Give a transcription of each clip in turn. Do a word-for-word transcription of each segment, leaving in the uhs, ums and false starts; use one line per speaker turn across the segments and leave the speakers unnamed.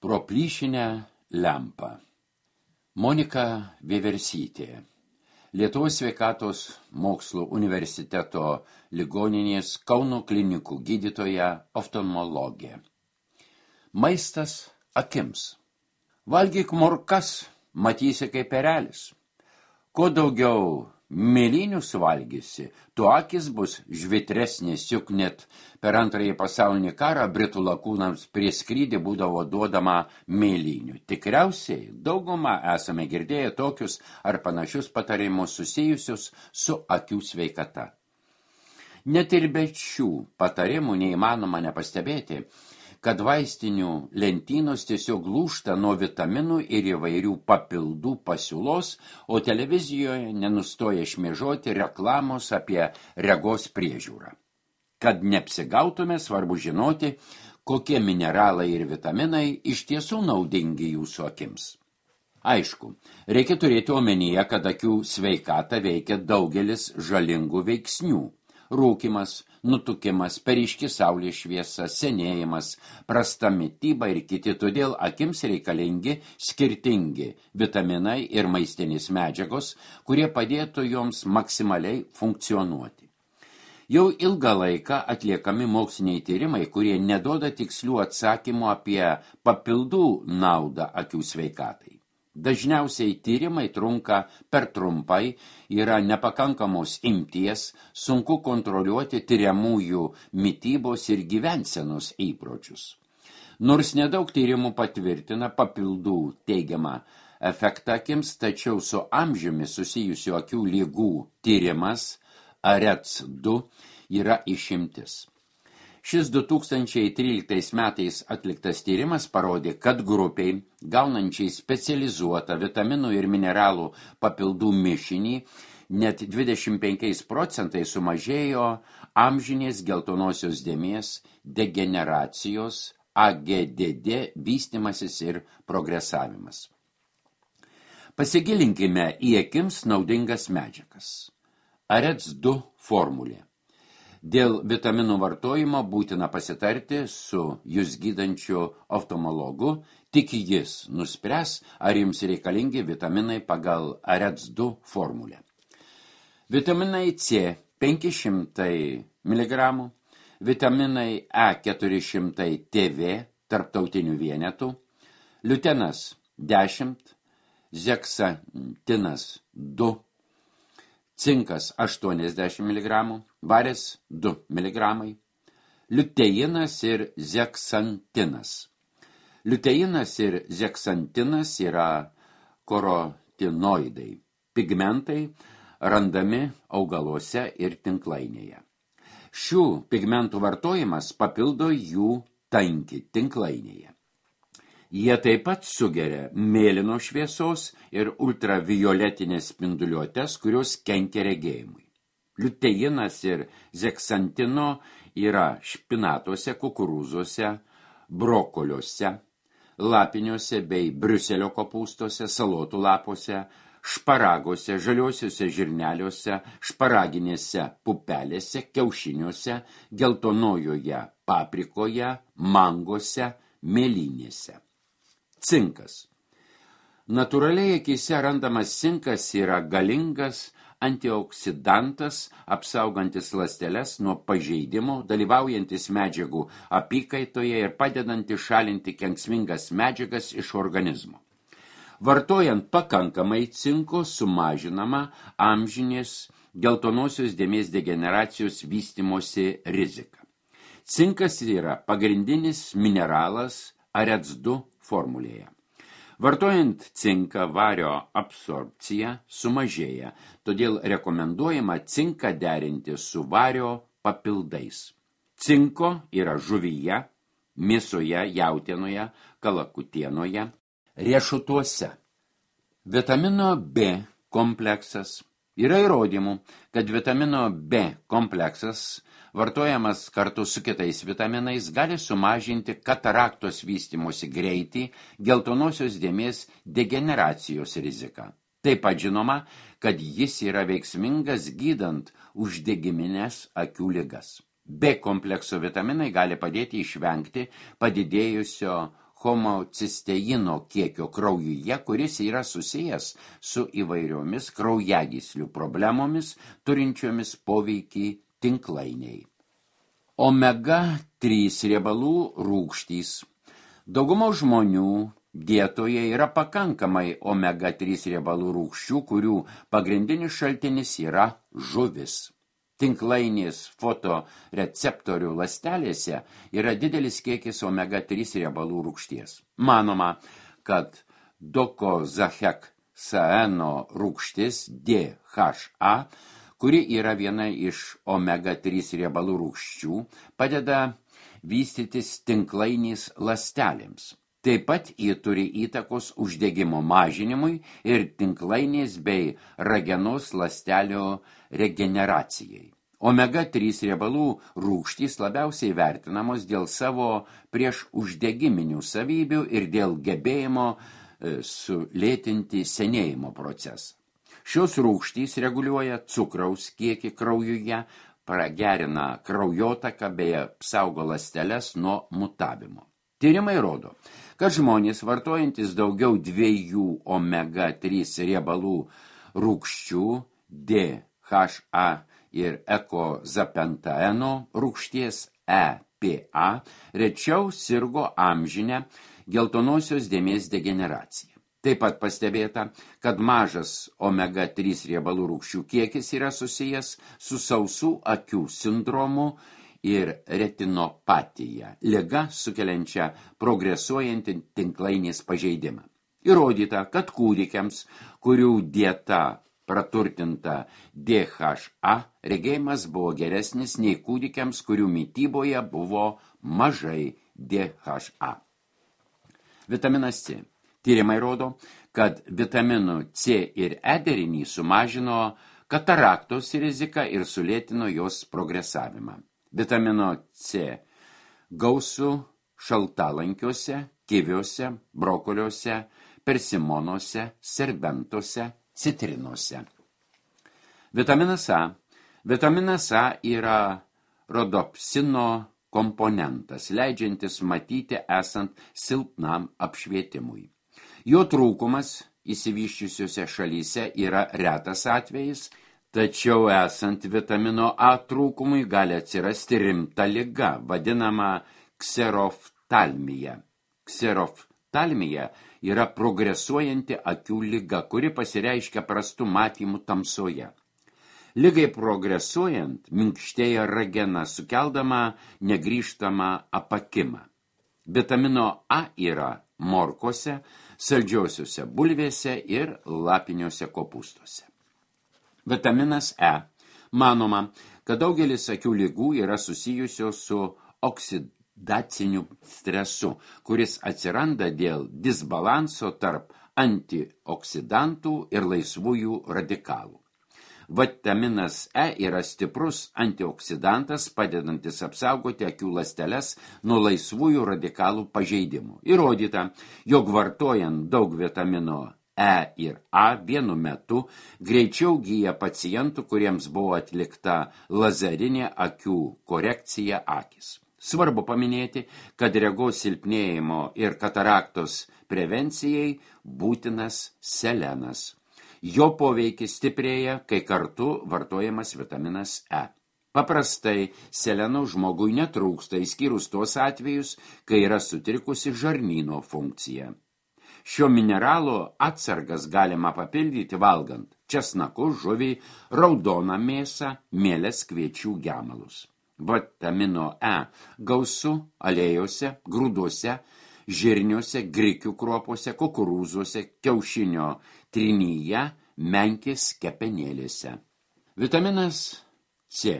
Pro plyšinę lempą. Monika Vieversytė. Lietuvos sveikatos mokslų universiteto ligoninės Kauno klinikų gydytoja oftalmologė. Maistas akims. Valgyk morkas, matysi kaip erelis. Kuo daugiau mėlynių suvalgysi, tuo akis bus žvitresnis, juk net per antrąjį pasaulinį karą britų lakūnams prie skrydį būdavo duodama mėlynių. Tikriausiai daugumą esame girdėję tokius ar panašius patarimus susijusius su akių sveikata. Net ir be šių patarimų neįmanoma nepastebėti, kad vaistinių lentynos tiesiog lūžta nuo vitaminų ir įvairių papildų pasiūlos, o televizijoje nenustoja šmėžoti reklamos apie regos priežiūrą. Kad neapsigautume, svarbu žinoti, kokie mineralai ir vitaminai iš tiesų naudingi jūsų akims. Aišku, reikia turėti omenyje, kad akių sveikatą veikia daugelis žalingų veiksnių. Rūkymas, nutukimas, peryški saulės šviesa, senėjimas, prasta mityba ir kiti, todėl akims reikalingi skirtingi vitaminai ir maistinės medžiagos, kurie padėtų joms maksimaliai funkcionuoti. Jau ilgą laiką atliekami moksliniai tyrimai, kurie neduoda tikslių atsakymų apie papildų naudą akių sveikatai. Dažniausiai tyrimai trunka per trumpai, yra nepakankamos imties, sunku kontroliuoti tyriamųjų mitybos ir gyvensenos įpročius. Nors nedaug tyrimų patvirtina papildų teigiamą efektą akims, tačiau su amžiumi susijusių akių ligų tyrimas A R E C du yra išimtis. Šis du tūkstančiai tryliktais metais atliktas tyrimas parodė, kad grupiai, gaunančiai specializuotą vitaminų ir mineralų papildų mišinį, net dvidešimt penkiais procentais sumažėjo amžinės geltonosios dėmės, degeneracijos, A G D D vystymasis ir progresavimas. Pasigilinkime į akims naudingas medžiagas. A R E C du formulė. Dėl vitaminų vartojimo būtina pasitarti su jūs gydančiu oftalmologu, tik jis nuspręs, ar jums reikalingi vitaminai pagal A R E C du formulę. Vitaminai C penki šimtai miligramų, vitaminai E keturi šimtai T V tarptautinių vienetų, liutenas dešimt, zeksantinas du, cinkas aštuoniasdešimt miligramų, varis du miligramai, liuteinas ir zeksantinas. Liuteinas ir zeksantinas yra karotinoidai, pigmentai randami augaluose ir tinklainėje. Šių pigmentų vartojimas papildo jų tankį tinklainėje. Jie taip pat sugeria mėlyno šviesos ir ultravioletinės spinduliuotės, kurios kenkia regėjimui. Liuteinas ir zeksantino yra špinatuose, kukurūzuose, brokoliuose, lapiniuose bei briuselio kopūstuose, salotų lapuose, šparagose, žaliuosiuose žirneliuose, šparaginėse pupelėse, kiaušiniuose, geltonojoje paprikoje, mangose, mėlynėse. Cinkas. Natūraliai akyse randamas cinkas yra galingas antioksidantas, apsaugantis ląsteles nuo pažeidimų, dalyvaujantis medžiagų apykaitoje ir padedantis šalinti kenksmingas medžiagas iš organizmo. Vartojant pakankamai cinko sumažinama amžinės geltonosios dėmės degeneracijos vystymosi rizika. Cinkas yra pagrindinis mineralas A R E C du formulėje. Vartojant cinką, vario absorbcija sumažėja, todėl rekomenduojama cinką derinti su vario papildais. Cinko yra žuvyje, mėsoje, jautienoje, kalakutienoje, riešutuose. Vitamino B kompleksas. Yra įrodymų, kad vitamino B kompleksas vartojamas kartu su kitais vitaminais gali sumažinti kataraktos vystymosi greitį, geltonosios dėmės degeneracijos riziką. Taip pat žinoma, kad jis yra veiksmingas gydant uždegiminės akių ligas. B komplekso vitaminai gali padėti išvengti padidėjusio homocisteino kiekio kraujuje, kuris yra susijęs su įvairiomis kraujagyslių problemomis, turinčiomis poveikį tinklainiai. omega trys riebalų rūgštys. Dauguma žmonių dietoje yra pakankamai omega trys riebalų rūgščių, kurių pagrindinis šaltinis yra žuvis. Tinklainės fotoreceptorių ląstelėse yra didelis kiekis omega trys riebalų rūgšties. Manoma, kad dokozaheksaeno rūgštis D H A, kuri yra viena iš omega trys riebalų rūgščių, padeda vystytis tinklainės ląstelėms. Taip pat ji turi įtakos uždegimo mažinimui ir tinklainės bei ragenos ląstelio regeneracijai. omega trys riebalų rūgštys labiausiai vertinamos dėl savo prieš uždegiminių savybių ir dėl gebėjimo sulėtinti senėjimo procesą. Šios rūgštys reguliuoja cukraus kiekį kraujuje, pragerina kraujotaką bei apsaugo ląsteles nuo mutavimo. Tyrimai rodo, kad žmonės vartojantis daugiau dviejų omega trys riebalų rūgščių D H A ir ekozapentaeno rūgšties E P A rečiau sirgo amžinę geltonosios dėmės degeneraciją. Taip pat pastebėta, kad mažas omega trys riebalų rūgščių kiekis yra susijęs su sausų akių sindromu ir retinopatija, liga sukeliančia progresuojantį tinklainės pažeidimą. Įrodyta, kad kūdikiams, kurių dieta praturtinta D H A, regėjimas buvo geresnis nei kūdikiams, kurių mityboje buvo mažai D H A. Vitaminas C. Tyrimai rodo, kad vitaminų C ir E derinį sumažino kataraktos riziką ir sulėtino jos progresavimą. Vitamino C gausu šaltalankiuose, kiviuose, brokoliuose, persimonuose, serbentuose, citrinose. Vitaminas A. Vitaminas A yra rodopsino komponentas, leidžiantis matyti esant silpnam apšvietimui. Jo trūkumas išsivysčiusiuose šalyse yra retas atvejis, tačiau esant vitamino A trūkumui gali atsirasti rimta liga, vadinama kseroftalmija. Kseroftalmija yra progresuojanti akių liga, kuri pasireiškia prastu matymu tamsoje. Ligai progresuojant, minkštėja ragena, sukeldama negrįžtamą apakimą. Vitamino A yra morkose, saldžiosiuose bulvėse ir lapiniuose kopūstuose. Vitaminas E. Manoma, kad daugelis akių ligų yra susijusios su oksidaciniu stresu, kuris atsiranda dėl disbalanso tarp antioksidantų ir laisvųjų radikalų. Vitaminas E yra stiprus antioksidantas, padedantis apsaugoti akių ląsteles nuo laisvųjų radikalų pažeidimų. Įrodyta, jog vartojant daug vitamino E ir A vienu metu greičiau gyja pacientų, kuriems buvo atlikta lazarinė akių korekcija akis. Svarbu paminėti, kad regos silpnėjimo ir kataraktos prevencijai būtinas selenas. Jo poveikis stiprėja, kai kartu vartojamas vitaminas E. Paprastai seleno žmogui netrūksta, išskyrus tuos atvejus, kai yra sutrikusi žarnyno funkcija. Šio mineralo atsargas galima papildyti valgant česnakus, žuvį, raudoną mėsą, mieles, kviečių gemalus. Vitamino E gausu aliejose, grūduose, žirniuose, grikių kruopose, kukurūzuose, kiaušinio trinyje, menkės kepenėlėse. Vitaminas C.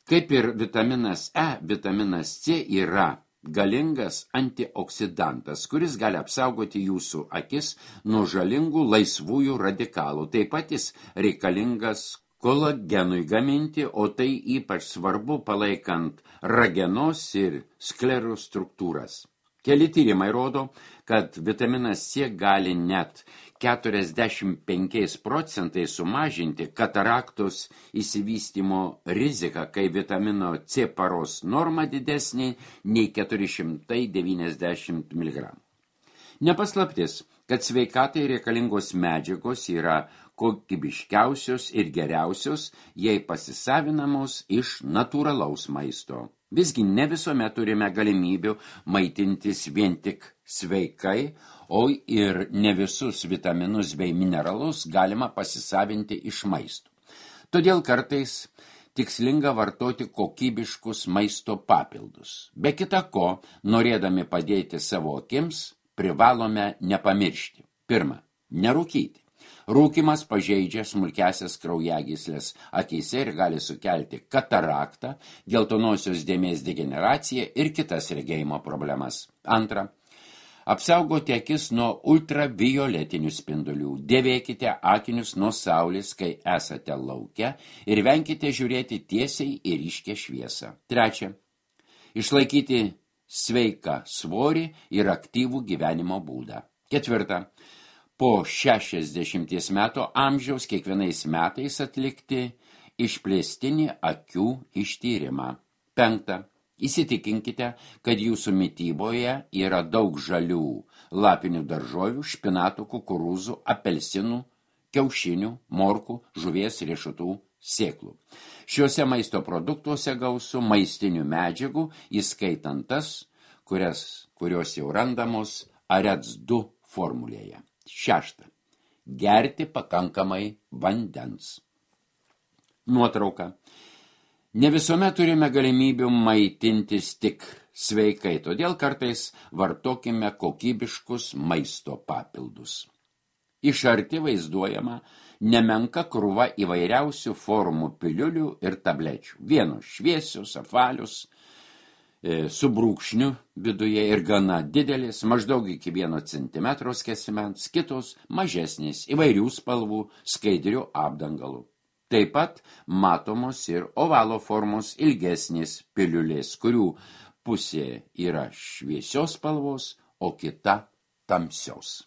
Kaip ir vitaminas E, vitaminas C yra galingas antioksidantas, kuris gali apsaugoti jūsų akis nuo žalingų laisvųjų radikalų. Taip pat jis reikalingas kolagenui gaminti, o tai ypač svarbu palaikant ragenos ir sklerų struktūras. Keli tyrimai rodo, kad vitaminas C gali net keturiasdešimt penkiais procentais sumažinti kataraktos įsivystymo riziką, kai vitamino C paros norma didesnė nei keturi šimtai devyniasdešimt miligramų. Nepaslaptis, kad sveikatai reikalingos medžiagos yra kokybiškiausios ir geriausios, jei pasisavinamos iš natūralaus maisto. Visgi ne visuomet turime galimybių maitintis vien tik sveikai, o ir ne visus vitaminus bei mineralus galima pasisavinti iš maisto. Todėl kartais tikslinga vartoti kokybiškus maisto papildus. Be kita ko, norėdami padėti savo akims, privalome nepamiršti. Pirma, nerūkyti. Rūkymas pažeidžia smulkiasias kraujagyslės akyse ir gali sukelti kataraktą, geltonosios dėmės degeneraciją ir kitas regėjimo problemas. Antra, apsaugoti akis nuo ultravioletinių spindulių. Dėvėkite akinius nuo saulės, kai esate lauke, ir venkite žiūrėti tiesiai į ryškią šviesą. Trečia, išlaikyti sveiką svorį ir aktyvų gyvenimo būdą. Ketvirta, po šešiasdešimties metų amžiaus kiekvienais metais atlikti išplėstinį akių ištyrimą. Penkta, įsitikinkite, kad jūsų mityboje yra daug žalių lapinių daržovių, špinatų, kukurūzų, apelsinų, kiaušinių, morkų, žuvies, riešutų, sėklų. Šiuose maisto produktuose gausu maistinių medžiagų, įskaitant tas, kurias, kurios jau randamos A R E D S du formulėje. Šešta. Gerti pakankamai vandens. Nuotrauka. Ne visuomet turime galimybių maitintis tik sveikai, todėl kartais vartokime kokybiškus maisto papildus. Iš arti vaizduojama nemenka krūva įvairiausių formų piliulių ir tablečių. Vienos šviesios, apvalios, su brūkšniu viduje ir gana didelis, maždaug iki vieno centimetro skersmens, kitos mažesnės, įvairių spalvų, skaidrių apdangalų. Taip pat matomos ir ovalo formos ilgesnės piliulės, kurių pusė yra šviesios spalvos, o kita tamsios.